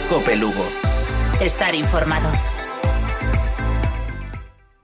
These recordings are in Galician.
Cope Lugo. Estar informado.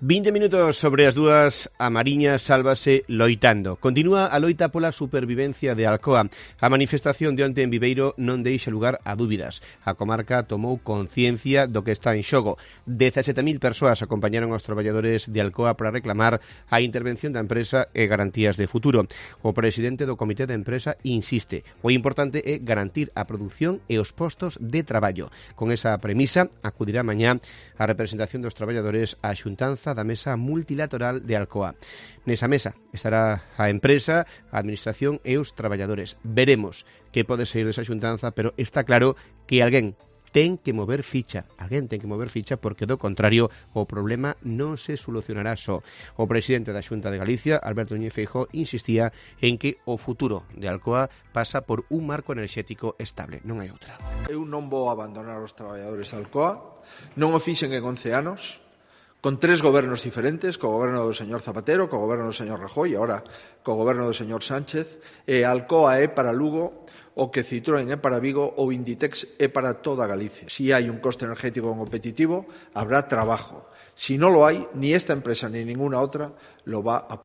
20 minutos sobre as 2, a Mariña sálvase loitando. Continúa a loita pola supervivencia de Alcoa. A manifestación de onte en Viveiro non deixa lugar a dúbidas. A comarca tomou conciencia do que está en xogo. 17.000 persoas acompañaron aos traballadores de Alcoa para reclamar a intervención da empresa e garantías de futuro. O presidente do Comité de Empresa insiste: o importante é garantir a produción e os postos de traballo. Con esa premisa, acudirá mañá a representación dos traballadores á xuntanza da Mesa Multilateral de Alcoa. Nesa mesa estará a empresa, a administración e os traballadores. Veremos que pode sair desa xuntanza, pero está claro que alguén ten que mover ficha. Alguén ten que mover ficha porque, do contrario, o problema non se solucionará só. O presidente da Xunta de Galicia, Alberto Núñez Feijóo, insistía en que o futuro de Alcoa pasa por un marco enerxético estable. Non hai outra. Eu non vou abandonar os traballadores de Alcoa. Non o fixen en 11 anos. Con 3 gobernos diferentes, co goberno do señor Zapatero, co goberno do señor Rajoy e agora co goberno do señor Sánchez. Alcoa é para Lugo o que Citroën é para Vigo ou Inditex é para toda Galicia. Si hai un coste energético competitivo, habrá trabajo. Si non lo hai, ni esta empresa ni ninguna otra lo va a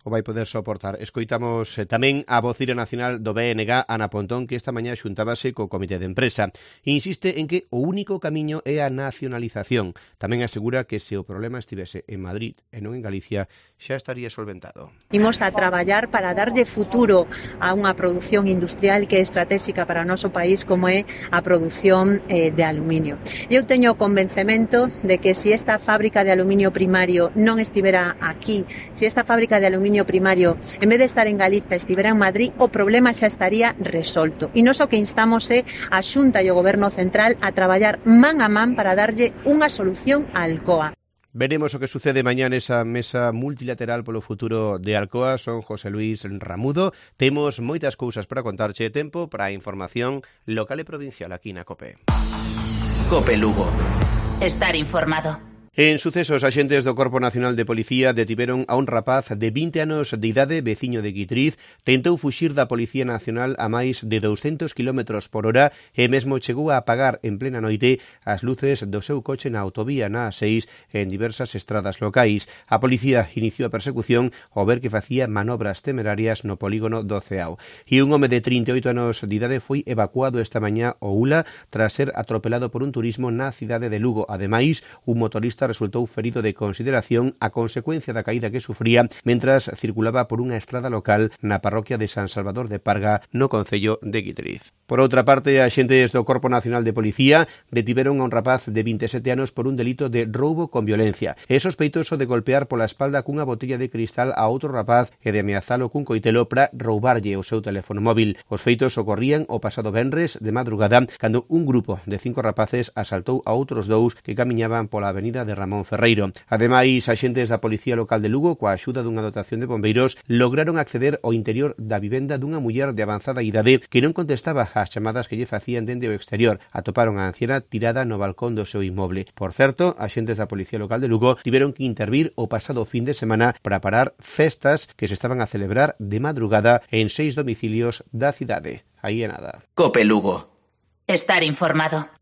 o vai poder soportar. Escoitamos tamén a vocira nacional do BNG, Ana Pontón, que esta mañá xuntábase co Comité de Empresa. Insiste en que o único camiño é a nacionalización. Tamén asegura que se o problema estivese en Madrid e non en Galicia, xa estaría solventado. Imos a traballar para darlle futuro a unha produción industrial que é estratégica para o noso país, como é a produción de aluminio. Eu teño o convencemento de que se esta fábrica de aluminio primario non estivera aquí, se esta fábrica de aluminio primario, en vez de estar en Galiza, estivera en Madrid, o problema xa estaría resolto. E nós o que instamos é a Xunta e o Goberno Central a traballar man a man para darlle unha solución a Alcoa. Veremos o que sucede mañá nesa mesa multilateral polo futuro de Alcoa. Son José Luis Ramudo. Temos moitas cousas para contarche, tempo para a información local e provincial aquí na COPE. COPE Lugo. Estar informado. En sucesos, axentes do Corpo Nacional de Policía detiveron a un rapaz de 20 anos de idade, veciño de Guitriz. Tentou fuxir da Policía Nacional a máis de 200 km por hora e mesmo chegou a apagar en plena noite as luces do seu coche na autovía na A6 en diversas estradas locais. A policía iniciou a persecución ao ver que facía manobras temerarias no polígono do Ceao. E un home de 38 anos de idade foi evacuado esta mañá ao Ula tras ser atropelado por un turismo na cidade de Lugo. Ademais, un motorista resultou ferido de consideración a consecuencia da caída que sufría mentras circulaba por unha estrada local na parroquia de San Salvador de Parga, no concello de Guitriz. Por outra parte, axentes do Corpo Nacional de Policía detiveron a un rapaz de 27 anos por un delito de roubo con violencia. É sospeitoso de golpear pola espalda cunha botella de cristal a outro rapaz e de ameazalo cun coitelo para roubarlle o seu teléfono móvil. Os feitos ocorrían o pasado venres de madrugada cando un grupo de 5 rapaces asaltou a outros 2 que camiñaban pola avenida de Ramón Ferreiro. Ademais, axentes da Policía Local de Lugo, coa axuda dunha dotación de bombeiros, lograron acceder ao interior da vivenda dunha muller de avanzada idade que non contestaba ás chamadas que lle facían dende o exterior. Atoparon a anciana tirada no balcón do seu inmoble. Por certo, axentes da Policía Local de Lugo tiveron que intervir o pasado fin de semana para parar festas que se estaban a celebrar de madrugada en 6 domicilios da cidade. Aí é nada. COPE Lugo. Estar informado.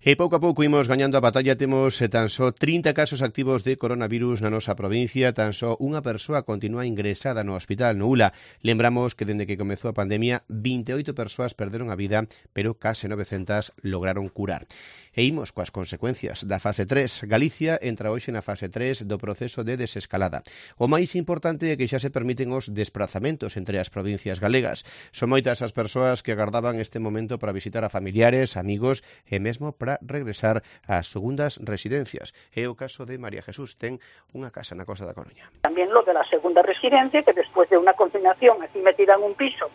E pouco a pouco imos gañando a batalla. Temos tan só 30 casos activos de coronavirus na nosa provincia. Tan só unha persoa continúa ingresada no hospital no Ula. Lembramos que dende que comezou a pandemia 28 persoas perderon a vida, pero case 900 lograron curar. E imos coas consecuencias da fase 3. Galicia entra hoxe na fase 3 do proceso de desescalada. O máis importante é que xa se permiten os desprazamentos entre as provincias galegas. Son moitas as persoas que agardaban este momento para visitar a familiares, amigos e mesmo para regresar ás segundas residencias. É o caso de María Jesús, ten unha casa na Costa da Coruña. También lo de la segunda residencia, que después de una confinación aquí metida en un piso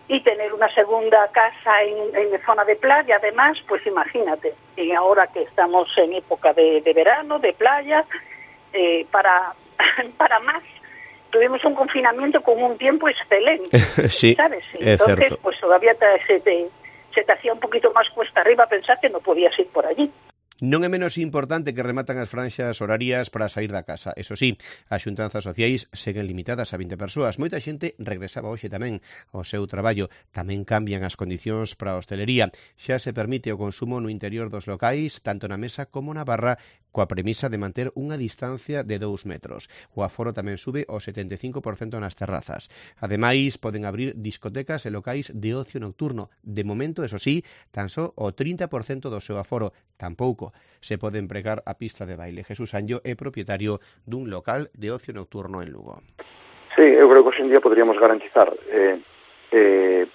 y tener una segunda casa en zona de playa, además, pues imagínate, y ahora que estamos en época de verano, de playa, para más, tuvimos un confinamiento con un tiempo excelente, sí, ¿sabes? Entonces, pues todavía se te hacía un poquito más cuesta arriba pensar que no podías ir por allí. Non é menos importante que rematan as franxas horarias para sair da casa. Eso sí, as xuntanzas sociais seguen limitadas a 20 persoas. Moita xente regresaba hoxe tamén ao seu traballo. Tamén cambian as condicións para a hostelería. Xa se permite o consumo no interior dos locais, tanto na mesa como na barra, coa premisa de manter unha distancia de 2 metros. O aforo tamén sube ao 75% nas terrazas. Ademais, poden abrir discotecas e locais de ocio nocturno. De momento, eso sí, tan só o 30% do seu aforo. Tampouco se pode empregar a pista de baile. Jesús Anllo é propietario dun local de ocio nocturno en Lugo. Sí, eu creo que hoxe en día podríamos garantizar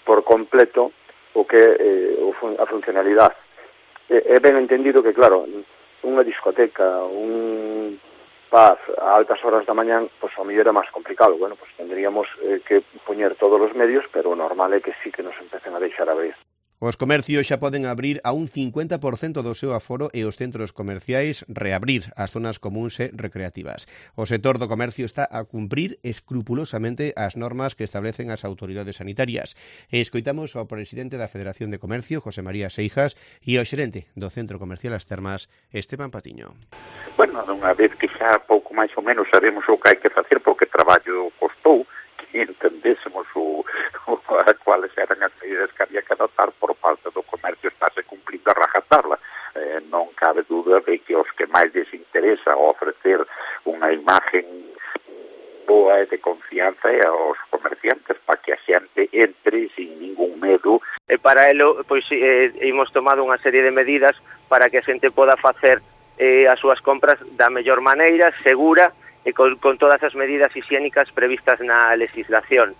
por completo o que a funcionalidade. É ben entendido que, claro, unha discoteca, un pub a altas horas da mañán, pois ao mellor era máis complicado. Bueno, pois tendríamos que poñer todos os medios, pero o normal é que sí que nos empecen a deixar abrir. Os comercios xa poden abrir a un 50% do seu aforo e os centros comerciais reabrir as zonas comúns e recreativas. O sector do comercio está a cumprir escrupulosamente as normas que establecen as autoridades sanitarias. E escoitamos ao presidente da Federación de Comercio, José María Seijas, e ao xerente do Centro Comercial As Termas, Esteban Patiño. Bueno, unha vez que xa pouco máis ou menos sabemos o que hai que facer porque o traballo costou, que entendésemos cuáles eran as medidas que había que adoptar por parte do comercio, estáse cumplindo a rajatabla. Non cabe dúda de que os que máis les interesa ofrecer unha imagen boa e de confianza aos comerciantes para que a xente entre sin ningún medo. E para elo, pois, imos tomado unha serie de medidas para que a xente poda facer as súas compras da mellor maneira, segura, e con todas as medidas higiénicas previstas na legislación.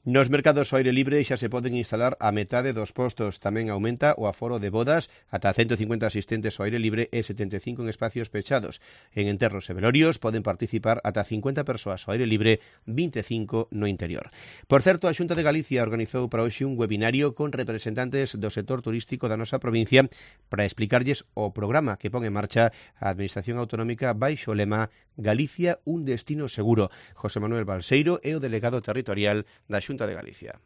Nos mercados ao aire libre xa se poden instalar a metade dos postos. Tamén aumenta o aforo de bodas, ata 150 asistentes ao aire libre e 75 en espacios pechados. En enterros e velorios poden participar ata 50 persoas ao aire libre, 25 no interior. Por certo, a Xunta de Galicia organizou para hoxe un webinario con representantes do sector turístico da nosa provincia para explicarlles o programa que pon en marcha a Administración Autonómica baixo o lema Galicia, un destino seguro. José Manuel Balseiro é o delegado territorial da Xunta de Galicia.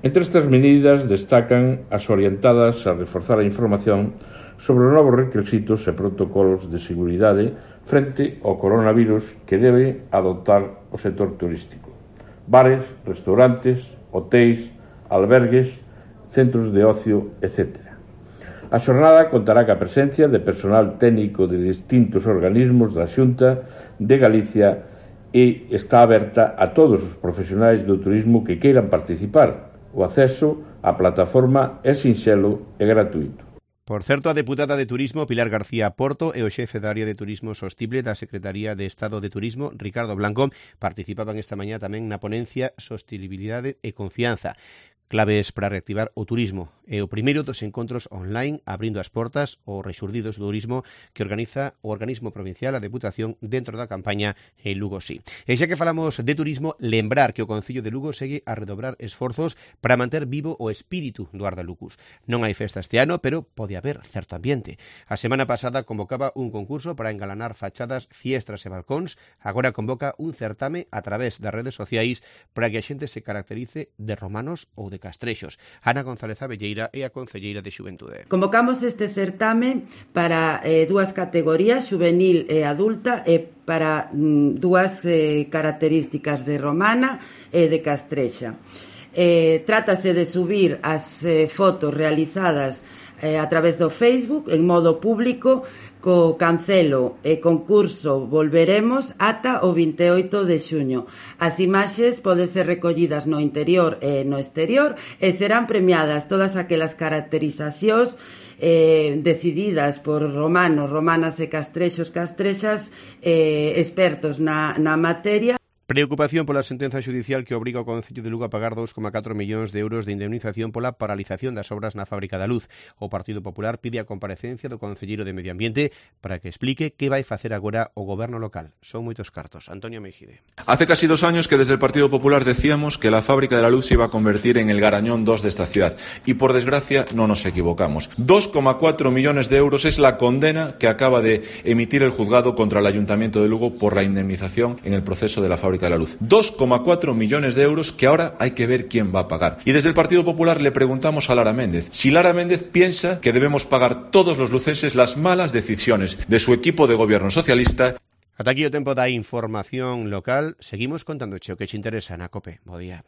Entre estas medidas destacan as orientadas a reforzar a información sobre os novos requisitos e protocolos de seguridade frente ao coronavirus que debe adoptar o sector turístico. Bares, restaurantes, hotéis, albergues, centros de ocio, etc. A xornada contará ca presencia de personal técnico de distintos organismos da Xunta de Galicia e está aberta a todos os profesionais do turismo que queiran participar. O acceso á plataforma é sinxelo e gratuito. Por certo, a deputada de Turismo, Pilar García Porto, e o xefe da área de Turismo Sostible da Secretaría de Estado de Turismo, Ricardo Blanco, participaban esta mañá tamén na ponencia Sostenibilidade e Confianza. Claves para reactivar o turismo. É o primeiro dos encontros online abrindo as portas ao rexurdido do turismo que organiza o organismo provincial, a Deputación, dentro da campaña en Lugo Sí. E xa que falamos de turismo, lembrar que o Concello de Lugo segue a redobrar esforzos para manter vivo o espírito do Arda Lucus. Non hai festa este ano, pero pode haber certo ambiente. A semana pasada convocaba un concurso para engalanar fachadas, fiestras e balcóns. Agora convoca un certame a través das redes sociais para que a xente se caracterice de romanos ou de castrexos. Ana González Abelleira é a concelleira de Xuventude. Convocamos este certame para dúas categorías, juvenil e adulta, e para dúas características de romana e de castrexa. Trátase de subir as fotos realizadas a través do Facebook en modo público co cancelo e concurso Volveremos ata o 28 de xuño. As imaxes poden ser recollidas no interior e no exterior e serán premiadas todas aquelas caracterizacións decididas por romanos, romanas e castrexos, castrexas expertos na materia. Preocupación pola sentenza xudicial que obriga o Concello de Lugo a pagar 2,4 millóns de euros de indemnización pola paralización das obras na Fábrica da Luz. O Partido Popular pide a comparecencia do concelleiro de Medio Ambiente para que explique que vai facer agora o goberno local. Son moitos cartos. Antonio Mejide. Hace casi 2 años que desde el Partido Popular decíamos que la Fábrica de la Luz se iba a convertir en el Garañón 2 de esta ciudad. Y por desgracia no nos equivocamos. 2,4 millones de euros es la condena que acaba de emitir el juzgado contra el Ayuntamiento de Lugo por la indemnización en el proceso de la Fábrica Fábrica de la Luz. 2,4 millones de euros que ahora hay que ver quién va a pagar. Y desde el Partido Popular le preguntamos a Lara Méndez si Lara Méndez piensa que debemos pagar todos los lucenses las malas decisiones de su equipo de gobierno socialista. Ata aquí o tempo da información local. Seguimos contando o que te interesa na COPE. Bo día.